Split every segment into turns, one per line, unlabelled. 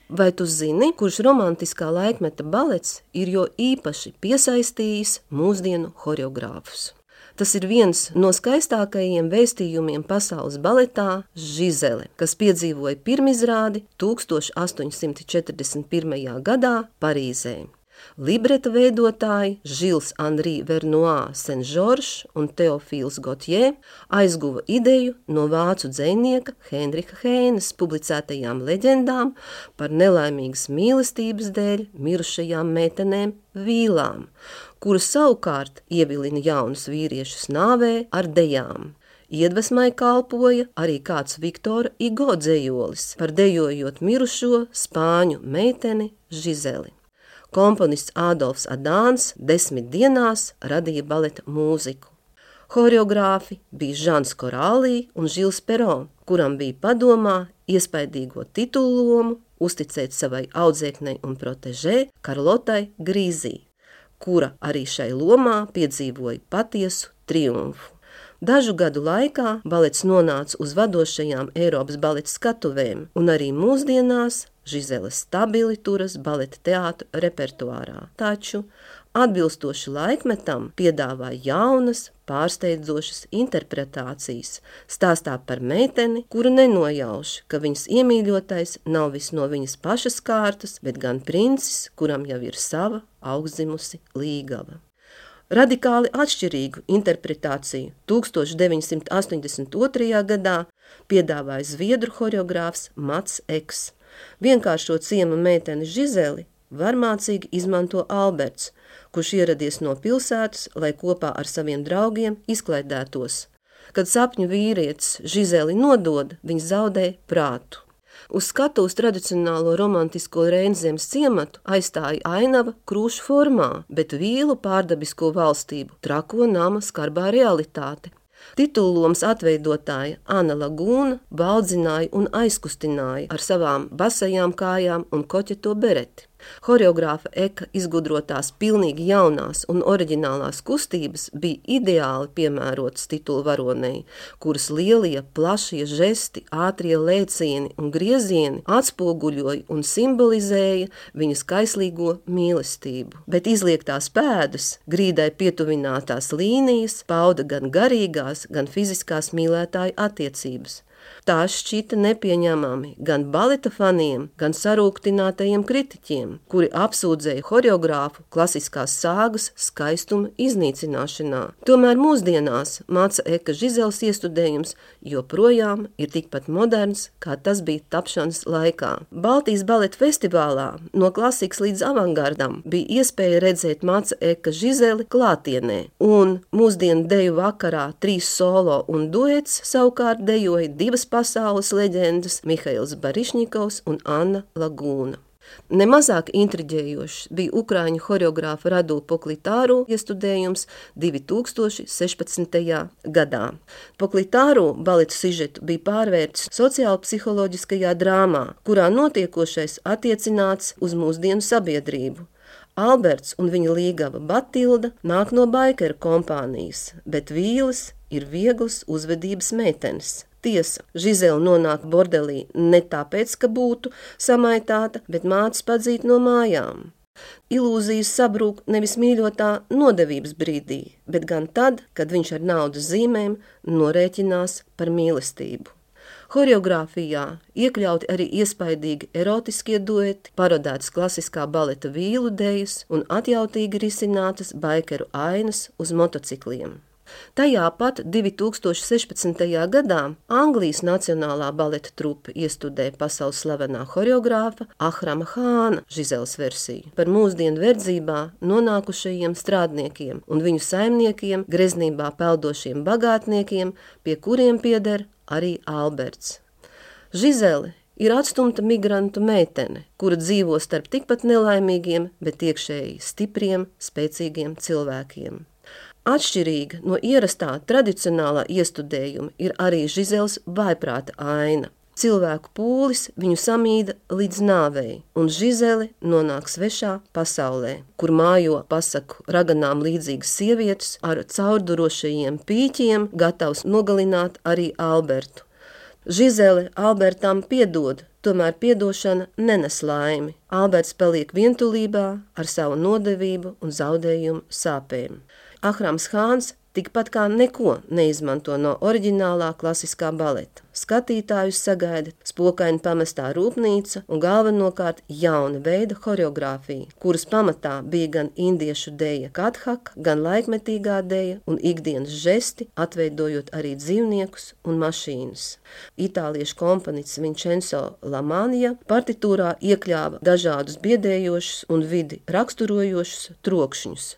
Vai tu zini, kurš romantiskā laikmeta balets ir jo īpaši piesaistījis mūsdienu horeogrāfus? Tas ir viens no skaistākajiem vēstījumiem pasaules baletā Žizele, kas piedzīvoja pirmizrādi 1841. gadā Parīzē. Libreta veidotāji Žils Anri Vernois Saint-Georges un Teofils Gautier aizguva ideju no vācu dzejnieka Heinricha Heinas publicētajām leģendām par nelaimīgas mīlestības dēļ mirušajām meitenēm vīlām, kuras savukārt ievilina jaunus vīriešus nāvē ar dejām. Iedvesmai kalpoja arī kāds Viktora Hugo dzejolis par dejojot mirušo spāņu meiteni Žizeli. Komponists Ādolfs Adāns 10 dienās radīja baleta mūziku. Horeogrāfi bija Žans Korālī un Žils Peron, kuram bija padomā iespaidīgo titulu lomu uzticēt savai audzēknei un protežē Karlotai Grīzī, kura arī šai lomā piedzīvoja patiesu triumfu. Dažu gadu laikā balets nonāca uz vadošajām Eiropas baleta skatuvēm, un arī mūsdienās Žizele stabili turas baleta teātra repertuārā, taču atbilstoši laikmetam piedāvā jaunas, pārsteidzošas interpretācijas, stāstā par meiteni, kuru nenojauš, ka viņas iemīļotais nav viss no viņas pašas kārtas, bet gan princis, kuram jau ir sava augstzimusi līgava. Radikāli atšķirīgu interpretāciju 1982. gadā piedāvāja zviedru horeogrāfs Mats Eks. Vienkāršo ciema meiteni Žizeli varmācīgi izmanto Alberts, kurš ieradies no pilsētas, lai kopā ar saviem draugiem izklaidētos. Kad sapņu vīrietis Žizeli nodod, viņš zaudē prātu. Uz skatuves tradicionālo romantisko Reinzemes ciematu aizstāja ainava krūšu formā, bet vīlu pārdabisko valstību trako nama skarbā realitāte. Titullomas atveidotāja Anna Lagūna baudzināja un aizkustināja ar savām basajām kājām un koķeto bereti. Horeogrāfa Eka izgudrotās pilnīgi jaunās un oriģinālās kustības bija ideāli piemērotas titulu varonei, kuras lielie, plašie žesti, ātrie lēcieni un griezieni atspoguļoja un simbolizēja viņas kaislīgo mīlestību. Bet izliektās pēdas, grīdai pietuvinātās līnijas pauda gan garīgās, gan fiziskās mīlētāju attiecības. Tās šķita nepieņemami gan baleta faniem, gan sarūktinātajiem kritiķiem, kuri apsūdzēja horeogrāfu klasiskās sāgas skaistuma iznīcināšanā. Tomēr mūsdienās Māca Eka Žizeles iestudējums joprojām ir tikpat moderns, kā tas bija tapšanas laikā. Baltijas baleta festivālā no klasikas līdz avangardam bija iespēja redzēt Māca Eka Žizeli klātienē, un mūsdienu deju vakarā 3 solo un duets savukārt dejoja 2 pasaules leģendas Mihails Barišņikovs un Anna Lagūna. Nemazāk intriģējošs bija ukrāņu horeogrāfa Radu Poklitāru iestudējums 2016. gadā. Poklitāru baleta sižetu bija pārvērts sociālpsiholoģiskajā drāmā, kurā notiekošais attiecināts uz mūsdienu sabiedrību. Alberts un viņa līgava Batilda nāk no baikeru kompānijas, bet vīles ir vieglas uzvedības meitenes. Tiesa, Žizele nonāk bordelī ne tāpēc, ka būtu samaitāta, bet mātes padzīt no mājām. Ilūzijas sabrūk nevis mīļotā nodevības brīdī, bet gan tad, kad viņš ar naudas zīmēm norēķinās par mīlestību. Horeogrāfijā iekļauti arī iespaidīgi erotiskie dueti, parodētas klasiskā baleta vīlu dejas un atjautīgi risinātas baikeru ainas uz motocikliem. Tajā pat 2016. gadā Anglijas Nacionālā baleta trupe iestudēja pasaules slavenā horeogrāfa Ahrama Hāna Žizeles versiju par mūsdienu verdzībā nonākušajiem strādniekiem un viņu saimniekiem, greznībā peldošiem bagātniekiem, pie kuriem pieder arī Alberts. Žizele ir atstumta migrantu meitene, kura dzīvo starp tikpat nelaimīgiem, bet iekšēji stipriem, spēcīgiem cilvēkiem. Atšķirīga no ierastā tradicionālā iestudējuma ir arī Žizeles vājprāta aina. Cilvēku pūlis viņu samīda līdz nāvei, un Žizele nonāk svešā pasaulē, kur mājo pasaku raganām līdzīgas sievietes ar caurdurošajiem pīķiem, gatavs nogalināt arī Albertu. Žizele Albertam piedod tomēr piedošana nenes laimi. Alberts paliek vientulībā ar savu nodevību un zaudējumu sāpēm. Ahrams Hāns tikpat kā neko neizmanto no oriģinālā klasiskā baleta. Skatītājus sagaida spokaini pamestā rūpnīca un galvenokārt jauna veida horeogrāfija, kuras pamatā bija gan indiešu deja kathaka, gan laikmetīgā deja un ikdienas žesti, atveidojot arī dzīvniekus un mašīnas. Itāliešu komponists Vincenzo Lamania partitūrā iekļāva dažādus biedējošus un vidi raksturojošus trokšņus.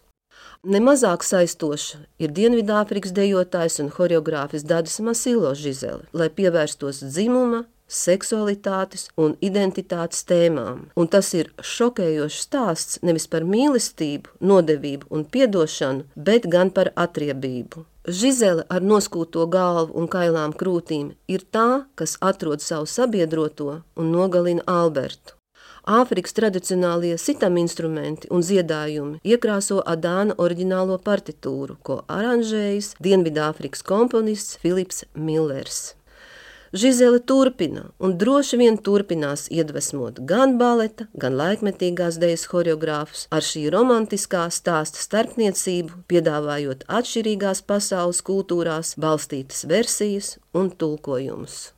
Nemazāk saistoša ir Dienvidāfrikas dejotājs un horeogrāfis Dadis Masilo Žizele, lai pievērstos dzimuma, seksualitātes un identitātes tēmām. Un tas ir šokējošs stāsts nevis par mīlestību, nodevību un piedošanu, bet gan par atriebību. Žizele ar noskūto galvu un kailām krūtīm ir tā, kas atrod savu sabiedroto un nogalina Albertu. Āfrikas tradicionālie sitam instrumenti un dziedājumi iekrāso Adāna oriģinālo partitūru, ko aranžējis Dienvidāfrikas komponists Filips Millers. Žizele turpina un droši vien turpinās iedvesmot gan baleta, gan laikmetīgās dejas horeogrāfus ar šī romantiskā stāsta starpniecību, piedāvājot atšķirīgās pasaules kultūrās balstītas versijas un tulkojumus.